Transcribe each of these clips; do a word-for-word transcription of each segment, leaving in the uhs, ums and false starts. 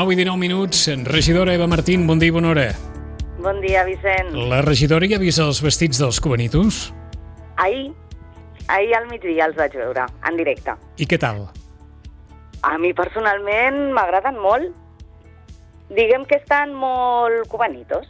nou i dinou minuts. Regidora Eva Martín, bon dia i bona hora. Bon dia, Vicent. La regidora ja ha vist els vestits dels cubanitos? Ahir, ahir al migdia els vaig veure, en directe. I què tal? A mi personalment m'agraden molt. Diguem que estan molt cubanitos.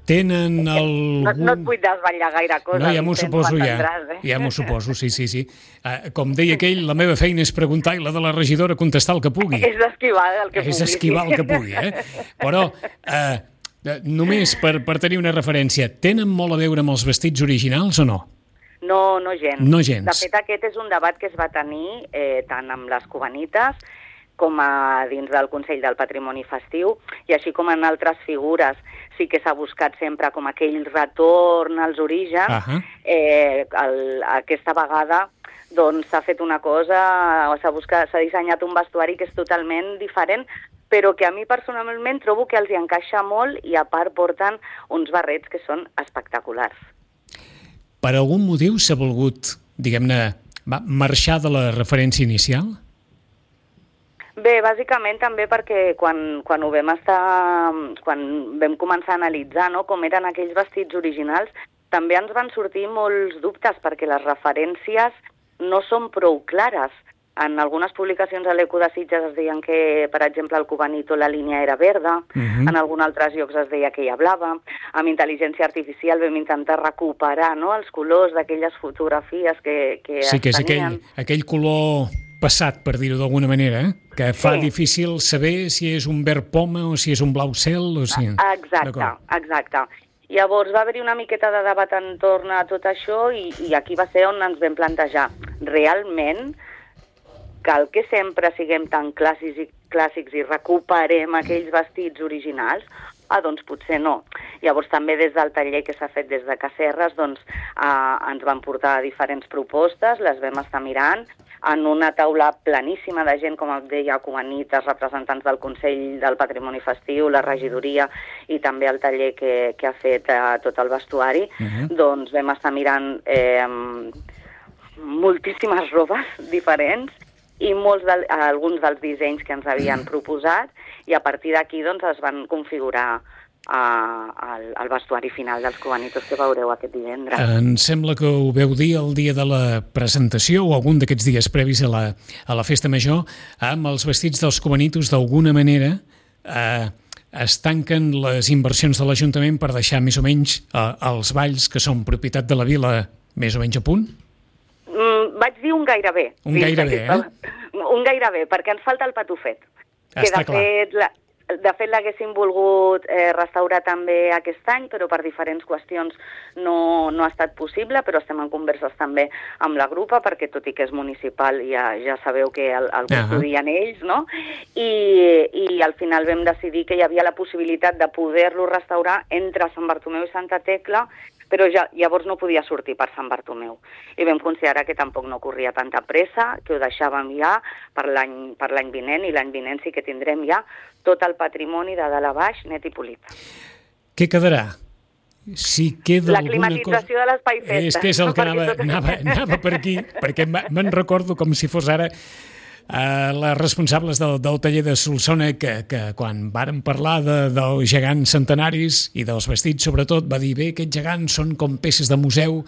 Tenen algun... No, no et vull desvetllar gaire cosa. No, ja m'ho Vicent, suposo, ja. eh? Ja m'ho suposo, sí, sí, sí. Uh, com deia aquell, la meva feina és preguntar i la de la regidora contestar el que pugui. És esquivar el que pugui. És esquivar el que pugui, eh? Però, uh, només per, per tenir una referència, tenen molt a veure amb els vestits originals o no? No, no gens. No gens. De fet, aquest és un debat que es va tenir eh, tant amb les cubanites com a dins del Consell del Patrimoni Festiu, i així com en altres figures sí que s'ha buscat sempre com aquell retorn als orígens. Uh-huh. eh, el, aquesta vegada doncs s'ha fet una cosa, s'ha buscat, s'ha dissenyat un vestuari que és totalment diferent, però que a mi personalment trobo que els hi encaixa molt i a part porten uns barrets que són espectaculars. Per algun motiu s'ha volgut, diguem-ne, marxar de la referència inicial? Bé, bàsicament també perquè quan, quan ho vam estar, quan vam començar a analitzar, no, com eren aquells vestits originals, també ens van sortir molts dubtes perquè les referències no són prou clares. En algunes publicacions a l'Eco de Sitges es deien que, per exemple, al Cubanito la línia era verda, uh-huh. En alguns altres llocs es deia que hi ha blava. Amb intel·ligència artificial vam intentar recuperar, no, els colors d'aquelles fotografies que, que sí, es que és tenien. Aquell, aquell color passat, per dir-ho d'alguna manera, eh? Que fa sí. difícil saber si és un verd poma o si és un blau cel. O si... Exacte, exacte. Llavors va haver-hi una miqueta de debat entorn a tot això i, i aquí va ser on ens vam plantejar. Realment cal que sempre siguem tan clàssics i, clàssics i recuperem aquells vestits originals? Ah, doncs potser no. Llavors també des del taller que s'ha fet des de Casserres doncs, eh, ens van portar diferents propostes, les vam estar mirant, en una taula planíssima de gent, com et deia, cubanites, representants del Consell del Patrimoni Festiu, la regidoria i també el taller que, que ha fet eh, tot el vestuari, uh-huh. Doncs vam estar mirant eh, moltíssimes robes diferents i molts de, alguns dels dissenys que ens havien proposat, i a partir d'aquí doncs, es van configurar uh, el, el vestuari final dels cubanitos que veureu aquest divendres. Em sembla que ho veu dir el dia de la presentació o algun d'aquests dies previs a la, a la festa major, amb els vestits dels cubanitos d'alguna manera eh, es tanquen les inversions de l'Ajuntament per deixar més o menys eh, els balls que són propietat de la vila més o menys a punt? Mm, vaig dir un gairebé. Un gairebé, eh? Un gairebé, perquè ens falta el patufet. Que Està de clar. fet, la, de fet l'haguéssim volgut eh, restaurar també aquest any, però per diferents qüestions no, no ha estat possible, però estem en converses també amb la grupa, perquè tot i que és municipal ja, ja sabeu que el, el custodien uh-huh. ells, no? I, I al final vam decidir que hi havia la possibilitat de poder-lo restaurar entre Sant Bartomeu i Santa Tecla, però ja, llavors no podia sortir per Sant Bartomeu. I vam considerar que tampoc no corria tanta pressa, que ho deixàvem ja per l'any per l'any vinent, i l'any vinent sí que tindrem ja tot el patrimoni de dalt a baix net i polit. Què quedarà? Si queda la climatització cosa... de l'espai festa. És que és el que anava, anava, anava per aquí, perquè me'n recordo com si fos ara Uh, les responsables del, del taller de Solsona que, que quan varen parlar de, dels gegants centenaris i dels vestits sobretot va dir bé, aquests gegants són com peces de museu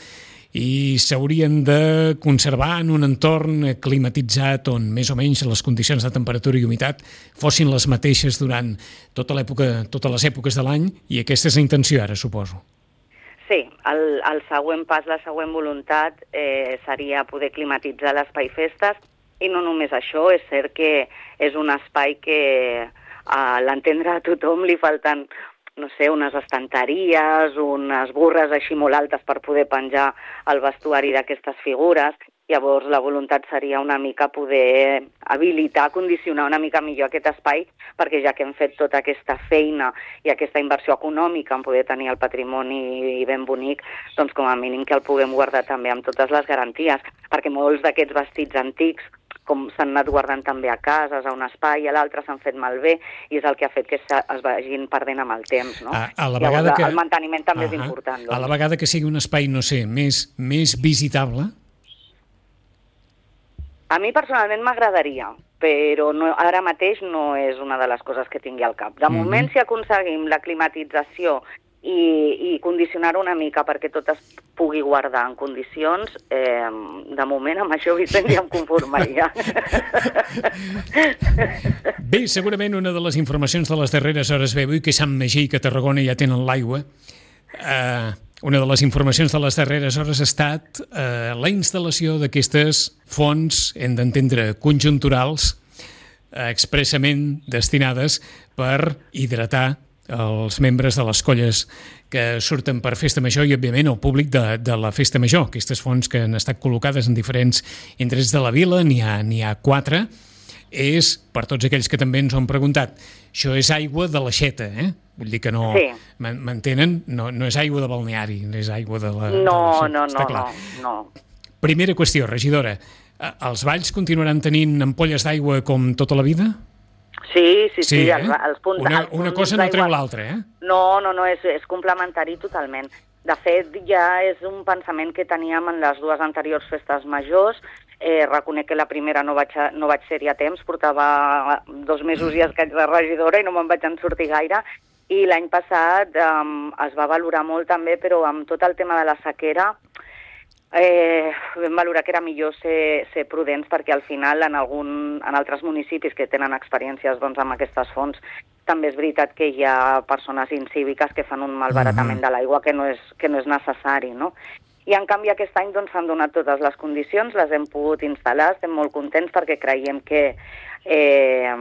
i s'haurien de conservar en un entorn climatitzat on més o menys les condicions de temperatura i humitat fossin les mateixes durant tota l'època, totes les èpoques de l'any, i aquesta és la intenció ara, suposo. Sí, el, el següent pas, la següent voluntat eh, seria poder climatitzar l'espai festes. I no només això, és cert que és un espai que a l'entendre a tothom li falten, no sé, unes estanteries, unes burres així molt altes per poder penjar el vestuari d'aquestes figures. Llavors la voluntat seria una mica poder habilitar, condicionar una mica millor aquest espai, perquè ja que hem fet tota aquesta feina i aquesta inversió econòmica en poder tenir el patrimoni ben bonic, doncs com a mínim que el puguem guardar també amb totes les garanties, perquè molts d'aquests vestits antics com s'han anat guardant també a cases, a un espai, a l'altre s'han fet malbé, i és el que ha fet que es vagin perdent amb el temps, no? A, a la vegada Llavors, que... el manteniment també uh-huh. és important. Doncs. A la vegada que sigui un espai, no sé, més, més visitable? A mi personalment m'agradaria. però no, ara mateix no és una de les coses que tingui al cap. De mm-hmm. moment, si aconseguim la climatització i, i condicionar una mica perquè tot es pugui guardar en condicions, eh, de moment amb això, Vicent, ja em conformaria. Bé, segurament una de les informacions de les darreres hores ve avui que Sant Magí i que a Tarragona ja tenen l'aigua. Eh, una de les informacions de les darreres hores ha estat eh, la instal·lació d'aquestes fonts, hem d'entendre, conjunturals, eh, expressament destinades per hidratar els membres de les colles que surten per Festa Major i, òbviament, el públic de, de la Festa Major. Aquestes fonts que han estat col·locades en diferents indrets de la vila, n'hi ha, n'hi ha quatre, és, per tots aquells que també ens ho han preguntat, això és aigua de l'aixeta, eh? Vull dir que no... Sí. M'entenen? No, no és aigua de balneari, no és aigua de la... No, de no, no, no, no. Primera qüestió, regidora, els valls continuaran tenint ampolles d'aigua com tota la vida? Sí, sí, sí, sí eh? els, els punts... Una, els punts una cosa no treu l'altra, eh? No, no, no, és, és complementari totalment. De fet, ja és un pensament que teníem en les dues anteriors festes majors. Eh, reconec que la primera no vaig, a, no vaig ser-hi a temps, portava dos mesos i escaig de regidora i no me'n vaig en sortir gaire. I l'any passat eh, es va valorar molt també, però amb tot el tema de la sequera, Eh, vam valorar que era millor ser, ser prudents perquè al final en, algun, en altres municipis que tenen experiències doncs, amb aquestes fonts també és veritat que hi ha persones incíviques que fan un malbaratament uh-huh. de l'aigua que no és, que no és necessari, no? I en canvi aquest any doncs, s'han donat totes les condicions, les hem pogut instal·lar, estem molt contents perquè creiem que, eh,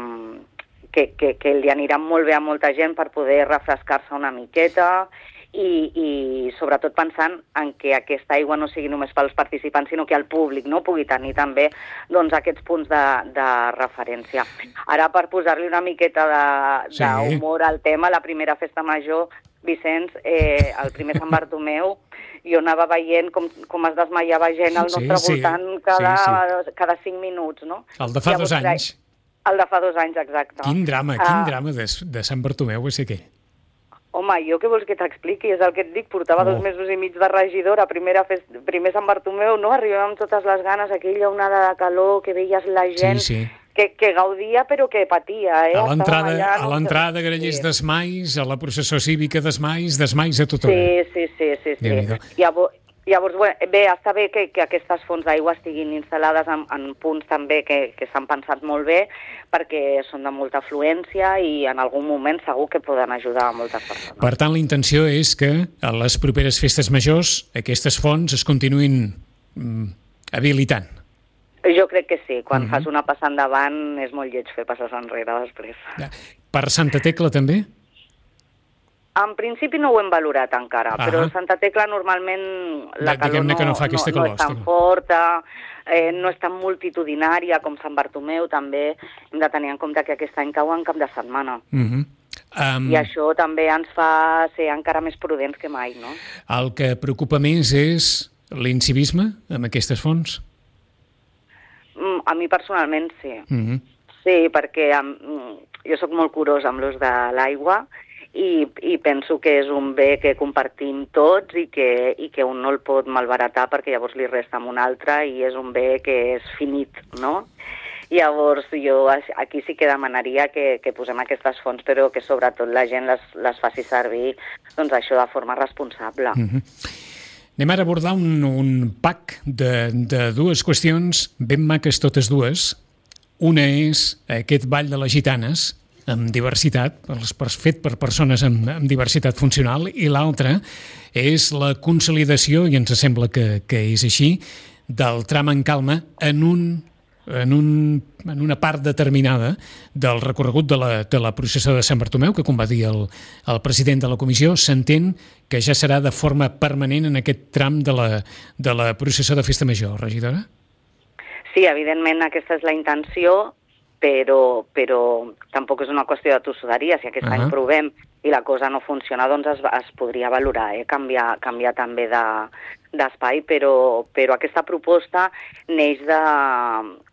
que, que, que li anirà molt bé a molta gent per poder refrescar-se una miqueta. I, i sobretot pensant en que aquesta aigua no sigui només pels participants, sinó que el públic no pugui tenir també doncs, aquests punts de, de referència. Ara, per posar-li una miqueta d'humor sí. al tema, la primera festa major, Vicenç, eh, el primer Sant Bartomeu, jo anava veient com, com es desmaiava gent al nostre sí, voltant sí. Cada, sí, sí. cada cinc minuts, no? El de fa Llavors, dos anys. El de fa dos anys, exacte. Quin drama, uh, quin drama de, de Sant Bartomeu va ser aquell. Home, jo què vols que t'expliqui? És el que et dic, portava oh. dos mesos i mig de regidora, primera fest... primer Sant Bartomeu, no? Arribàvem amb totes les ganes, aquella onada de calor, que veies la gent sí, sí. Que, que gaudia però que patia. Eh? A l'entrada, allà, no? a l'entrada grellers sí. d'esmais, a la processó cívica d'esmais, d'esmais a tothom. Sí, sí, sí. sí, sí. Llavors, llavors bé, bé, està bé que, que aquestes fonts d'aigua estiguin instal·lades en, en punts també que, que s'han pensat molt bé, perquè són de molta afluència i en algun moment segur que poden ajudar a moltes persones. Per tant, la intenció és que a les properes festes majors aquestes fonts es continuïn mm, habilitant. Jo crec que sí. Quan uh-huh. Mhm. fas una passa endavant és molt lleig fer passes enrere després. Per Santa Tecla també? En principi no ho hem valorat encara, uh-huh. però Santa Tecla normalment la calor no, que no, fa no, no és tan forta, eh, no és tan multitudinària com Sant Bartomeu, també hem de tenir en compte que aquest any cau en cap de setmana. Uh-huh. Um, I això també ens fa ser encara més prudents que mai, no? El que preocupa més és l'incivisme amb aquestes fonts? Mm, a mi personalment sí. Uh-huh. Sí, perquè um, jo sóc molt curosa amb l'ús de l'aigua, I, i penso que és un bé que compartim tots i que, i que un no el pot malbaratar perquè llavors li resta amb un altre i és un bé que és finit, no? Llavors jo aquí sí que demanaria que, que posem aquestes fonts però que sobretot la gent les, les faci servir doncs això de forma responsable. Mm-hmm. Anem ara a abordar un, un pack de, de dues qüestions ben maques totes dues. Una és aquest ball de les gitanes amb diversitat, fet per persones amb, amb diversitat funcional, i l'altra és la consolidació, i ens sembla que, que és així, del tram en calma en, un, en, un, en una part determinada del recorregut de la, de la processó de Sant Bartomeu, que, com va dir el, el president de la comissió, s'entén que ja serà de forma permanent en aquest tram de la, de la processó de Festa Major. Regidora? Sí, evidentment aquesta és la intenció, però, però tampoc és una qüestió de tossuderia. Si aquest uh-huh. any provem i la cosa no funciona, doncs es, es podria valorar, eh? canviar, canviar també de, d'espai, però, però aquesta proposta neix de,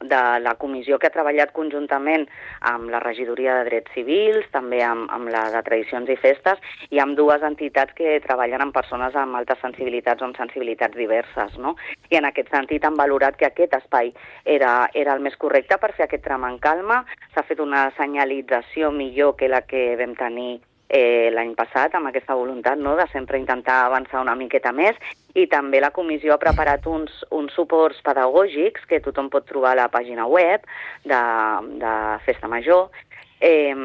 de la comissió que ha treballat conjuntament amb la Regidoria de Drets Civils, també amb, amb la de Tradicions i Festes, i amb dues entitats que treballen amb persones amb altes sensibilitats o amb sensibilitats diverses, no? I en aquest sentit han valorat que aquest espai era, era el més correcte per fer aquest tram en calma. S'ha fet una senyalització millor que la que vam tenir Eh, l'any passat, amb aquesta voluntat, no?, de sempre intentar avançar una miqueta més, i també la comissió ha preparat uns, uns suports pedagògics que tothom pot trobar a la pàgina web de, de Festa Major, eh,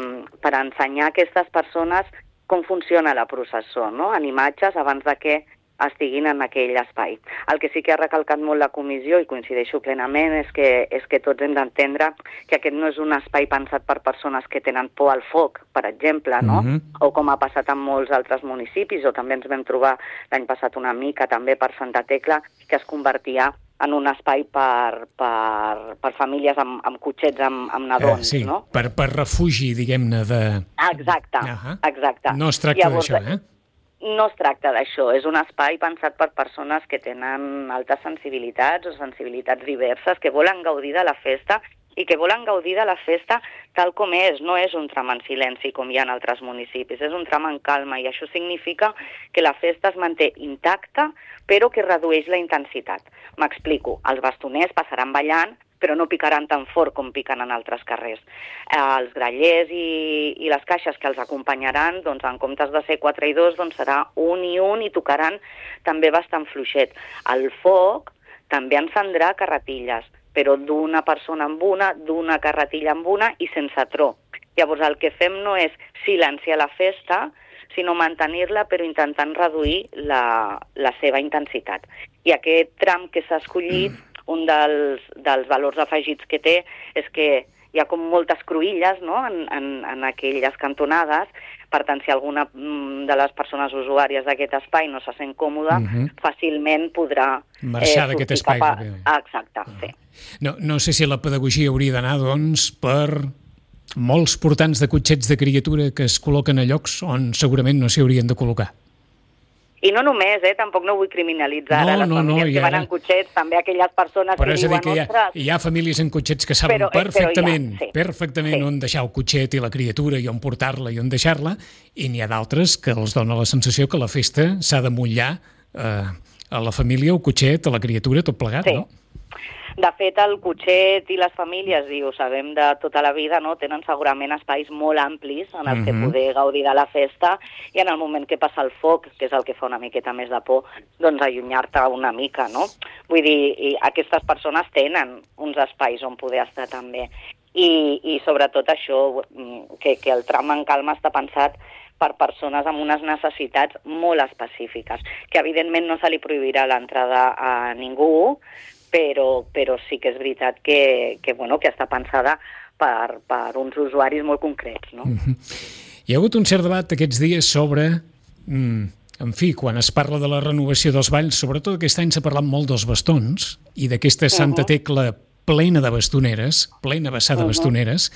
per ensenyar a aquestes persones com funciona la processó, no?, en imatges abans de que estiguin en aquell espai. El que sí que ha recalcat molt la comissió, i coincideixo plenament, és que, és que tots hem d'entendre que aquest no és un espai pensat per persones que tenen por al foc, per exemple, no? Mm-hmm. O com ha passat en molts altres municipis, o també ens vam trobar l'any passat una mica també per Santa Tecla, que es convertia en un espai per, per, per famílies amb, amb cotxets, amb, amb nadons, eh, sí, no? Per, per refugi, diguem-ne, de... Exacte, uh-huh. exacte. No es tracta d'això, eh? No es tracta d'això, és un espai pensat per persones que tenen altes sensibilitats o sensibilitats diverses, que volen gaudir de la festa i que volen gaudir de la festa tal com és. No és un tram en silenci com hi ha en altres municipis, és un tram en calma, i això significa que la festa es manté intacta però que redueix la intensitat. M'explico, els bastoners passaran ballant però no picaran tan fort com piquen en altres carrers. Eh, els grallers i, i les caixes que els acompanyaran, doncs en comptes de ser quatre i dos, doncs serà un i un, i tocaran també bastant fluixet. El foc també encendrà carretilles, però d'una persona amb una, d'una carretilla amb una i sense tro. Llavors el que fem no és silenciar la festa, sinó mantenir-la però intentant reduir la, la seva intensitat. I aquest tram que s'ha escollit, un dels, dels valors afegits que té és que hi ha com moltes cruïlles, no?, en, en, en aquelles cantonades. Per tant, si alguna de les persones usuàries d'aquest espai no se sent còmoda, uh-huh. fàcilment podrà marxar eh, d'aquest espai. A... Ah, exacte, uh-huh. sí. No, no sé si la pedagogia hauria d'anar, doncs, per molts portants de cotxets de criatura que es col·loquen a llocs on segurament no s'hi haurien de col·locar. I no només, eh? Tampoc no vull criminalitzar no, les no, famílies no, que ara... van en cotxets, també aquelles persones però que diuen... Però és a dir que hi ha, hi ha famílies en cotxets que saben però, perfectament, però ha, sí. perfectament sí. on deixar el cotxet i la criatura i on portar-la i on deixar-la, i n'hi ha d'altres que els dona la sensació que la festa s'ha de mullar eh, a la família, el cotxet, a la criatura, tot plegat, sí. no? De fet, el cotxet i les famílies, i ho sabem de tota la vida, no, tenen segurament espais molt amplis en els uh-huh. que poder gaudir de la festa, i en el moment que passa el foc, que és el que fa una miqueta més de por, doncs allunyar-te una mica, no? Vull dir, i aquestes persones tenen uns espais on poder estar també. I, i sobretot això, que, que el tram en calma està pensat per persones amb unes necessitats molt específiques, que evidentment no se li prohibirà l'entrada a ningú, Però, però sí que és veritat que, que, bueno, que està pensada per, per uns usuaris molt concrets, no? Mm-hmm. Hi ha hagut un cert debat aquests dies sobre, mm, en fi, quan es parla de la renovació dels balls, sobretot aquest any s'ha parlat molt dels bastons i d'aquesta Santa Tecla plena de bastoneres, plena vessada de uh-huh. bastoneres,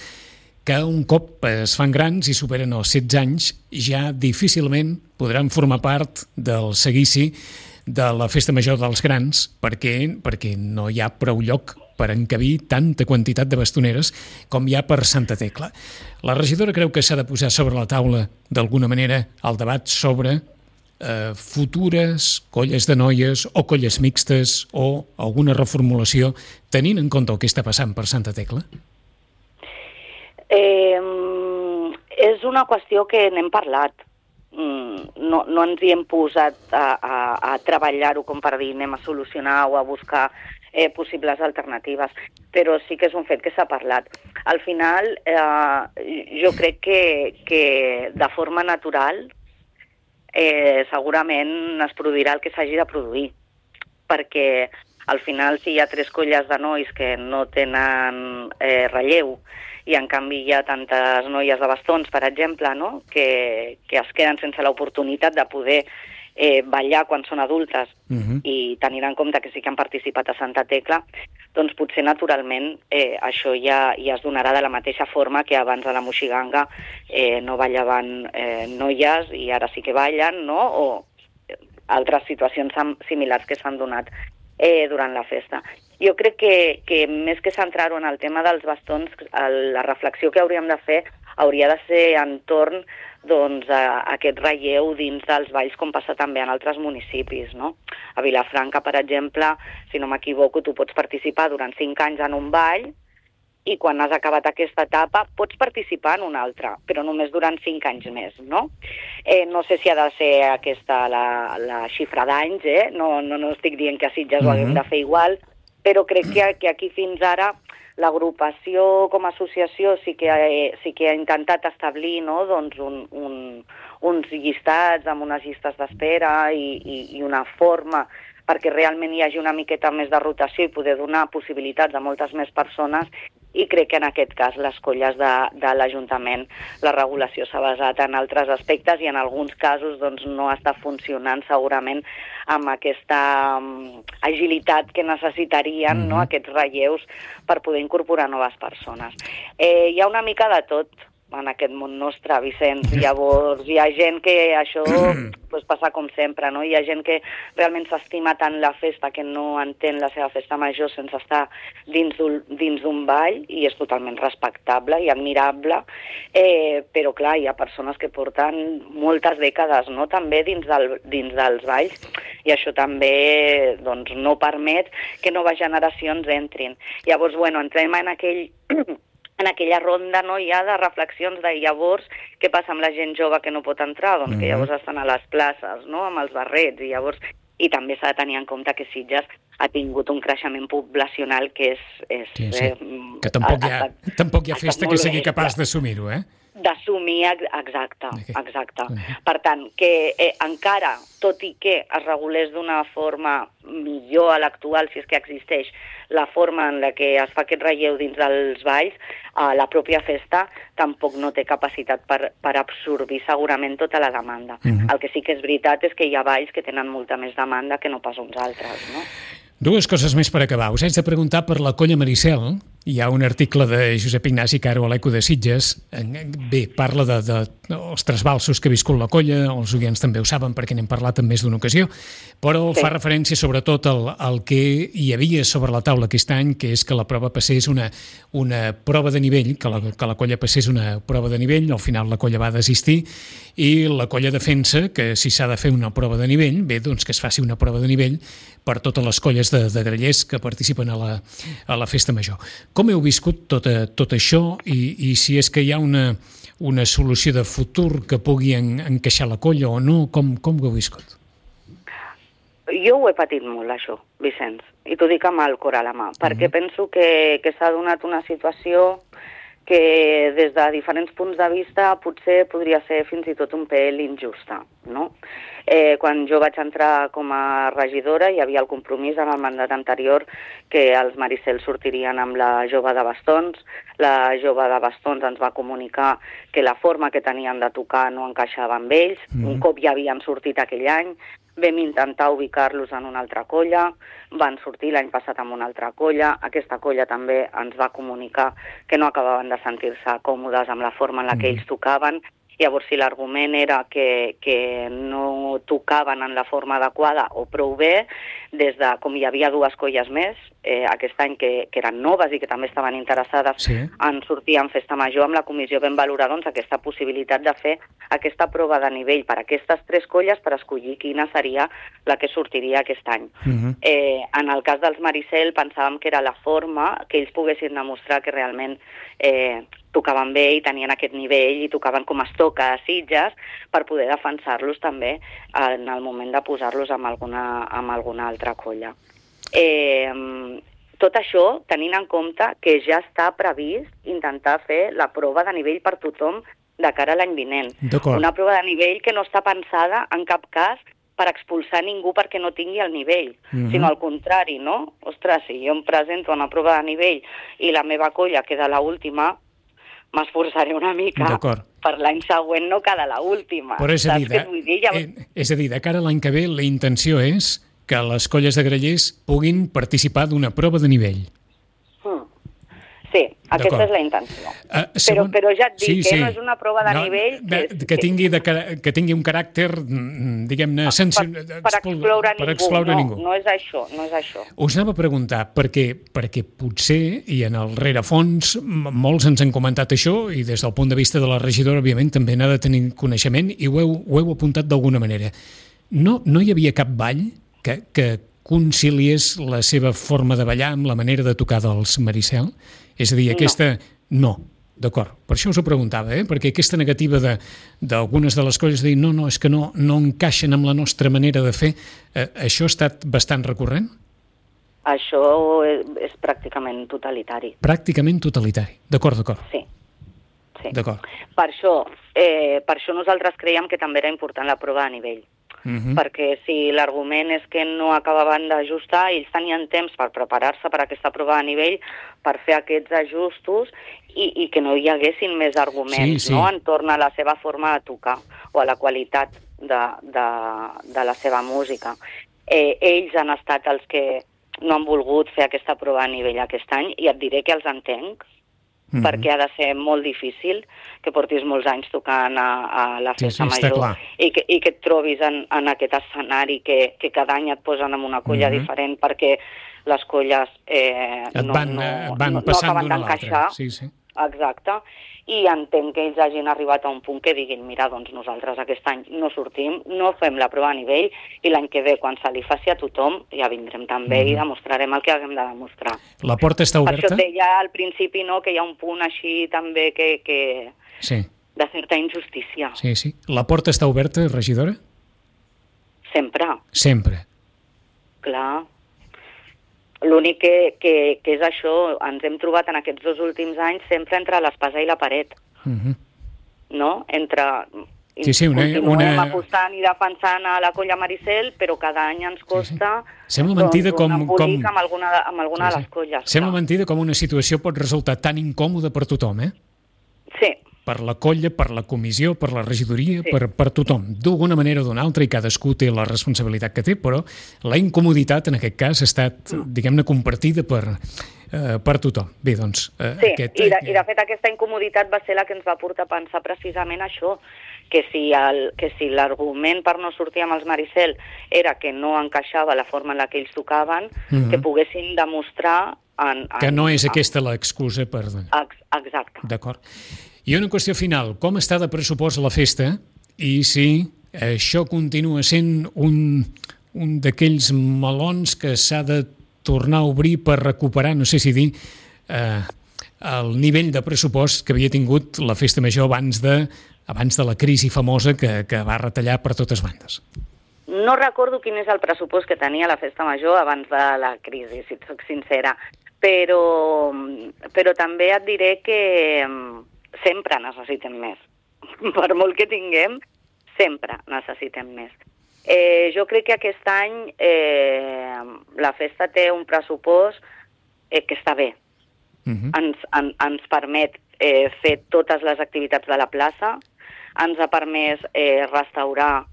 que un cop es fan grans i superen els setze anys ja difícilment podran formar part del seguici de la Festa Major dels Grans, perquè, perquè no hi ha prou lloc per encabir tanta quantitat de bastoneres com hi ha per Santa Tecla. La regidora creu que s'ha de posar sobre la taula, d'alguna manera, el debat sobre eh, futures colles de noies o colles mixtes o alguna reformulació, tenint en compte el que està passant per Santa Tecla? Eh, és una qüestió que n'hem parlat. No, no ens hi hem posat a, a, a treballar-ho com per dir anem a solucionar o a buscar eh, possibles alternatives, però sí que és un fet que s'ha parlat. Al final, eh, jo crec que, que de forma natural eh, segurament es produirà el que s'hagi de produir, perquè al final si hi ha tres colles de nois que no tenen eh, relleu i en canvi hi ha tantes noies de bastons, per exemple, no? que, que es queden sense l'oportunitat de poder eh, ballar quan són adultes uh-huh. i tenir en compte que sí que han participat a Santa Tecla, doncs potser naturalment eh, això ja, ja es donarà de la mateixa forma que abans a la Moixiganga eh, no ballaven eh, noies i ara sí que ballen, no? O altres situacions similars que s'han donat eh, durant la festa. Jo crec que, que més que centrar-ho en el tema dels bastons, la reflexió que hauríem de fer hauria de ser entorn doncs, a aquest relleu dins dels balls, com passa també en altres municipis, no? A Vilafranca, per exemple, si no m'equivoco, tu pots participar durant cinc anys en un ball i quan has acabat aquesta etapa pots participar en una altra, però només durant cinc anys més, no? Eh, no sé si ha de ser aquesta la, la xifra d'anys, eh? No, no, no estic dient que a Sitges mm-hmm. ho haguem de fer igual, però crec que, que aquí fins ara l'agrupació com a associació sí que, ha, sí que ha intentat establir, no, doncs un, un, uns llistats amb unes llistes d'espera i, i, i una forma perquè realment hi hagi una miqueta més de rotació i poder donar possibilitats a moltes més persones, i crec que en aquest cas les colles de, de l'Ajuntament la regulació s'ha basat en altres aspectes i en alguns casos doncs, no està funcionant segurament amb aquesta um, agilitat que necessitarien mm-hmm. no, aquests relleus per poder incorporar noves persones. Eh, hi ha una mica de tot en aquest món nostre, Vicenç. Llavors, hi ha gent que això pues, passa com sempre, no? Hi ha gent que realment s'estima tant la festa que no entén la seva festa major sense estar dins d'un, dins d'un ball, i és totalment respectable i admirable, eh, però clar, hi ha persones que porten moltes dècades, no?, també dins, del, dins dels balls, i això també doncs, no permet que noves generacions entrin. Llavors, bueno, entrem en aquell... en aquella ronda no hi ha de reflexions de llavors què passa amb la gent jove que no pot entrar, doncs mm-hmm. que llavors estan a les places, no?, amb els barrets, i llavors i també s'ha de tenir en compte que Sitges ha tingut un creixement poblacional que és... és sí, sí. Eh, que tampoc hi ha, ha, tampoc hi ha festa que sigui capaç d'assumir-ho, eh? D'assumir, exacte, exacte. Uh-huh. Per tant, que eh, encara, tot i que es regulés d'una forma millor a l'actual, si és que existeix, la forma en la que es fa aquest relleu dins dels balls, eh, la pròpia festa tampoc no té capacitat per, per absorbir segurament tota la demanda. Uh-huh. El que sí que és veritat és que hi ha balls que tenen molta més demanda que no pas uns altres, no? Dues coses més per acabar. Us haig de preguntar per la colla Maricel. Hi ha un article de Josep Ignasi Caro a l'Eco de Sitges. Bé, parla de, de, dels trasbalsos que ha viscut la colla, els oients també ho saben perquè n'hem parlat en més d'una ocasió, però sí. fa referència sobretot al, al que hi havia sobre la taula aquest any, que és que la prova passés una, una prova de nivell, que la, que la colla passés una prova de nivell, al final la colla va desistir, i la colla defensa que si s'ha de fer una prova de nivell, bé, doncs que es faci una prova de nivell per totes les colles de, de grallers que participen a la, a la festa major. Com heu viscut tot, tot això i, i si és que hi ha una, una solució de futur que pugui en, encaixar la colla o no? Com, com ho heu viscut? Jo ho he patit molt, això, Vicenç, i t'ho dic amb el cor a la mà, perquè mm-hmm. penso que, que s'ha donat una situació que des de diferents punts de vista potser podria ser fins i tot un pèl injusta, no? Eh, quan jo vaig entrar com a regidora hi havia el compromís en el mandat anterior que els Maricel sortirien amb la jove de bastons. La jove de bastons ens va comunicar que la forma que tenien de tocar no encaixava amb ells. Mm. Un cop ja havien sortit aquell any, vam intentar ubicar-los en una altra colla, van sortir l'any passat amb una altra colla, aquesta colla també ens va comunicar que no acabaven de sentir-se còmodes amb la forma en la que ells tocaven. Llavors, si l'argument era que, que no tocaven en la forma adequada o prou bé, des de, com hi havia dues colles més, eh, aquest any que, que eren noves i que també estaven interessades sí. en sortir en festa major, amb la comissió vam valorar doncs, aquesta possibilitat de fer aquesta prova de nivell per a aquestes tres colles per escollir quina seria la que sortiria aquest any. Uh-huh. eh, en el cas dels Maricel pensàvem que era la forma que ells poguessin demostrar que realment eh, tocaven bé i tenien aquest nivell i tocaven com es toca a Sitges per poder defensar-los també en el moment de posar-los amb alguna, amb alguna altra colla. Eh, tot això tenint en compte que ja està previst intentar fer la prova de nivell per tothom de cara a l'any vinent. Una prova de nivell que no està pensada en cap cas per expulsar ningú perquè no tingui el nivell, mm-hmm. sinó al contrari, no? Ostres, si jo em presento a una prova de nivell i la meva colla queda l'última, m'esforçaré una mica per l'any següent no quedar l'última. Però és a, dir, de, dir, ja... eh, és a dir, de cara a l'any que ve la intenció és que les colles de grallers puguin participar d'una prova de nivell. Mm. Sí, aquesta és la intenció. Uh, segon... però, però ja et dic sí, que sí. no és una prova de no, nivell... Que, de, que, tingui de, que tingui un caràcter, diguem-ne, sensi... per, per excloure, per ningú. excloure no, ningú. No és això, no és això. Us anava a preguntar, perquè, perquè potser, i en el rerefons, molts ens han comentat això, i des del punt de vista de la regidora, òbviament, també n'ha de tenir coneixement, i ho heu, ho heu apuntat d'alguna manera. No, no hi havia cap ball que, que conciliés la seva forma de ballar amb la manera de tocar dels Maricel? És a dir, aquesta... No, no d'acord. Per això us ho preguntava, eh? Perquè aquesta negativa d'algunes de, de les colles de dir no, no, és que no, no encaixen amb la nostra manera de fer, eh, això ha estat bastant recurrent? Això és, és pràcticament totalitari. Pràcticament totalitari. D'acord, d'acord. Sí. sí. D'acord. Per això, eh, per això nosaltres creiem que també era important la prova a nivell. Uh-huh. Perquè si l'argument és que no acabaven d'ajustar, ells tenien temps per preparar-se per aquesta prova a nivell, per fer aquests ajustos i, i que no hi haguessin més arguments sí, sí. No? Entorn a la seva forma de tocar o a la qualitat de, de, de la seva música. Eh, ells han estat els que no han volgut fer aquesta prova a nivell aquest any i et diré que els entenc, mm-hmm. perquè ha de ser molt difícil que portis molts anys tocant a, a la festa sí, sí, major i que, i que et trobis en, en aquest escenari que, que cada any et posen en una colla mm-hmm. diferent perquè les colles eh, et van, no, no, van no, no acaben d'encaixar. Sí, sí. Exacte. I entenc que ells hagin arribat a un punt que diguin mira, doncs nosaltres aquest any no sortim, no fem la prova a nivell i l'any que ve, quan se li faci a tothom, ja vindrem també mm-hmm. i demostrarem el que haguem de demostrar. La porta està oberta? Per això et deia al principi no, que hi ha un punt així també que... que... Sí. de certa injustícia. Sí, sí. La porta està oberta, regidora? Sempre. Sempre. Clar. L'únic que, que, que és això, ens hem trobat en aquests dos últims anys sempre entre l'espasa i la paret. Uh-huh. No? Entre... Sí, sí, una, continuem una... apostant i defensant a la colla Maricel, però cada any ens costa sí, sí. Sembla mentida doncs, com, un embolic com... amb alguna, amb alguna sí, sí. de les colles. Sembla clar. mentida com una situació pot resultar tan incòmoda per tothom, eh? Sí. Per la colla, per la comissió, per la regidoria, sí. per, per tothom. D'alguna manera o d'una altra, i cadascú té la responsabilitat que té, però la incomoditat en aquest cas ha estat, mm. diguem-ne, compartida per, eh, per tothom. Bé, doncs... Eh, sí, aquest, i, de, i de fet aquesta incomoditat va ser la que ens va portar a pensar precisament això, que si el, que si l'argument per no sortir amb els Maricel era que no encaixava la forma en la que ells tocaven, mm-hmm. que poguessin demostrar... En, en, que no és en, aquesta l'excusa per... Ex, exacte. D'acord. I una qüestió final, com està de pressupost la festa i si això continua sent un, un d'aquells melons que s'ha de tornar a obrir per recuperar, no sé si dir, eh, el nivell de pressupost que havia tingut la festa major abans de, abans de la crisi famosa que, que va retallar per totes bandes. No recordo quin és el pressupost que tenia la festa major abans de la crisi, si et soc sincera, però, però també et diré que sempre necessitem més. Per molt que tinguem, sempre necessitem més. Eh, jo crec que aquest any eh, la festa té un pressupost eh, que està bé. Uh-huh. Ens, en, ens permet eh, fer totes les activitats de la plaça, ens ha permès eh, restaurar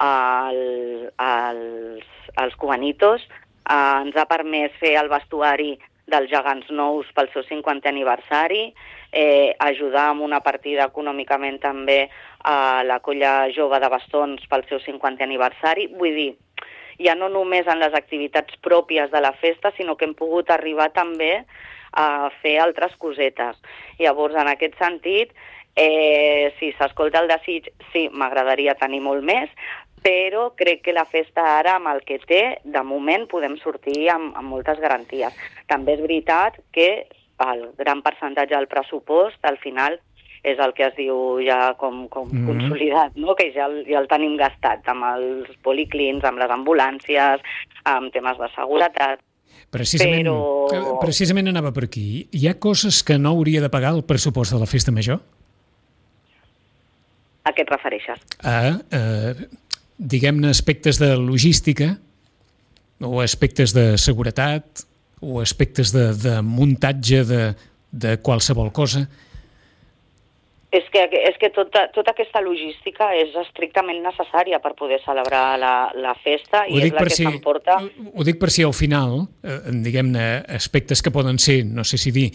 el, els, els cubanitos, eh, ens ha permès fer el vestuari dels gegants nous pel seu cinquantè aniversari, eh, ajudar amb una partida econòmicament també a la colla jove de bastons pel seu cinquantè aniversari. Vull dir, ja no només en les activitats pròpies de la festa, sinó que hem pogut arribar també a fer altres cosetes. Llavors, en aquest sentit, eh, si s'escolta el desig, sí, m'agradaria tenir molt més, però crec que la festa ara, amb el que té, de moment podem sortir amb, amb moltes garanties. També és veritat que el gran percentatge del pressupost, al final, és el que es diu ja com, com mm-hmm. consolidat, no? Que ja el, ja el tenim gastat amb els policlins, amb les ambulàncies, amb temes de seguretat. Precisament, però... precisament anava per aquí. Hi ha coses que no hauria de pagar el pressupost de la festa major? A què et refereixes? A... a... diguem-ne, aspectes de logística o aspectes de seguretat o aspectes de, de muntatge de, de qualsevol cosa? És que, és que tota, tota aquesta logística és estrictament necessària per poder celebrar la, la festa i és la que si, s'emporta... Ho dic per si al final, eh, diguem-ne, aspectes que poden ser, no sé si dir,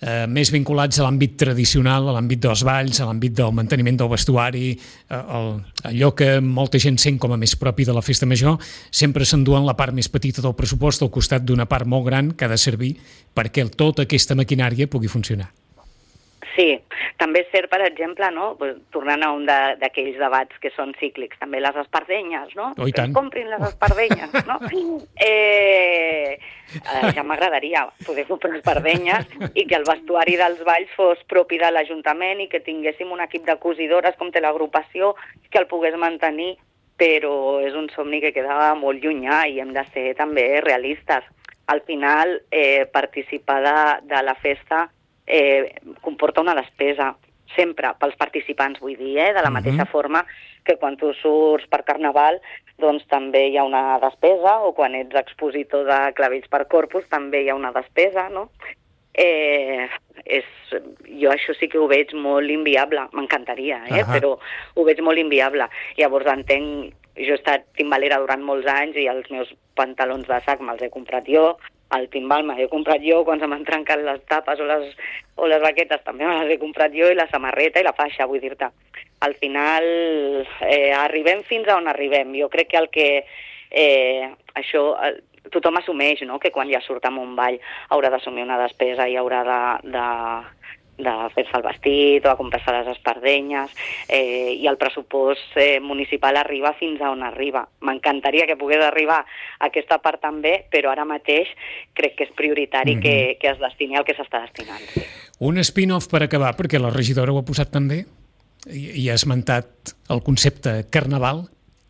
eh, més vinculats a l'àmbit tradicional, a l'àmbit dels balls, a l'àmbit del manteniment del vestuari, eh, el, allò que molta gent sent com a més propi de la festa major, sempre s'enduen la part més petita del pressupost al costat d'una part molt gran que ha de servir perquè tota aquesta maquinària pugui funcionar. Sí, també és cert, per exemple, no? Pues, tornant a un d'aquells de, debats que són cíclics, també les espardenyes, no? Oh, i tant. Que comprin les espardenyes, no? eh, eh, ja m'agradaria poder comprar espardenyes i que el vestuari dels balls fos propi de l'Ajuntament i que tinguéssim un equip de cosidores com té l'agrupació que el pogués mantenir, però és un somni que queda molt llunyà i hem de ser també realistes. Al final, eh, participar de, de la festa Eh, comporta una despesa, sempre pels participants, vull dir, eh? De la mateixa uh-huh. forma que quan tu surts per Carnaval, doncs també hi ha una despesa, o quan ets expositor de clavells per Corpus també hi ha una despesa, no? Eh, és, jo això sí que ho veig molt inviable, m'encantaria, eh? Uh-huh. Però ho veig molt inviable. Llavors entenc, jo he estat timbalera durant molts anys i els meus pantalons de sac me'ls he comprat jo, el timbal me l'he comprat jo, quan se m'han trencat les tapes o les, o les baquetes també me les he comprat jo, i la samarreta i la faixa, vull dir-te. Al final eh, arribem fins a on arribem. Jo crec que el que eh, això eh, tothom assumeix, no?, que quan ja surt amb un ball haurà d'assumir una despesa i haurà de, de, de fer-se el vestit o de comprar-se les espardenyes, eh, i el pressupost eh, municipal arriba fins a on arriba. M'encantaria que pogués arribar a aquesta part també, però ara mateix crec que és prioritari mm-hmm. que, que es destini al que s'està destinant. Sí. Un spin-off per acabar, perquè la regidora ho ha posat també, i, i ha esmentat el concepte Carnaval.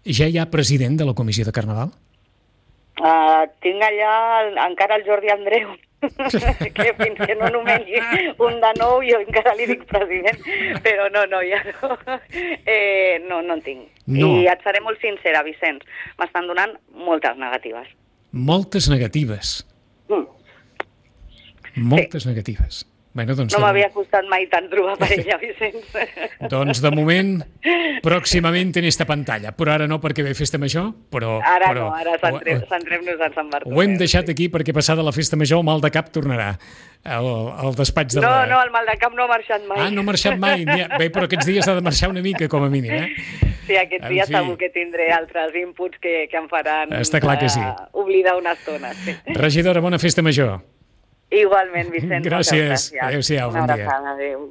Ja hi ha president de la comissió de Carnaval? Uh, tinc allà encara el Jordi Andreu, que fins que no nomeni un de nou jo encara li dic president, però no, no, ja no, eh, no, no en tinc. No. I et seré molt sincera, Vicenç, m'estan donant moltes negatives. Moltes negatives? Mm. Moltes sí. negatives. Bueno, doncs, no m'havia costat mai tant trobar per ella, Vicenç. Doncs de moment, pròximament en esta pantalla, però ara no perquè ve festa major, però... Ara però, no, ara centrem-nos en Sant Bartomeu. Ho hem deixat aquí perquè passada la festa major el mal de cap tornarà al, al despatx de no, la... No, no, el mal de cap no ha marxat mai. Ah, no ha marxat mai. Bé, però aquests dies ha de marxar una mica, com a mínim, eh? Sí, aquests dies fi. Segur que tindré altres inputs que, que em faran Està clar que sí. uh, oblidar una estona. Sí. Regidora, bona festa major. Igualment, Vicenç. Gràcies. Adéu-siau, bon dia. Una abraçada, adéu.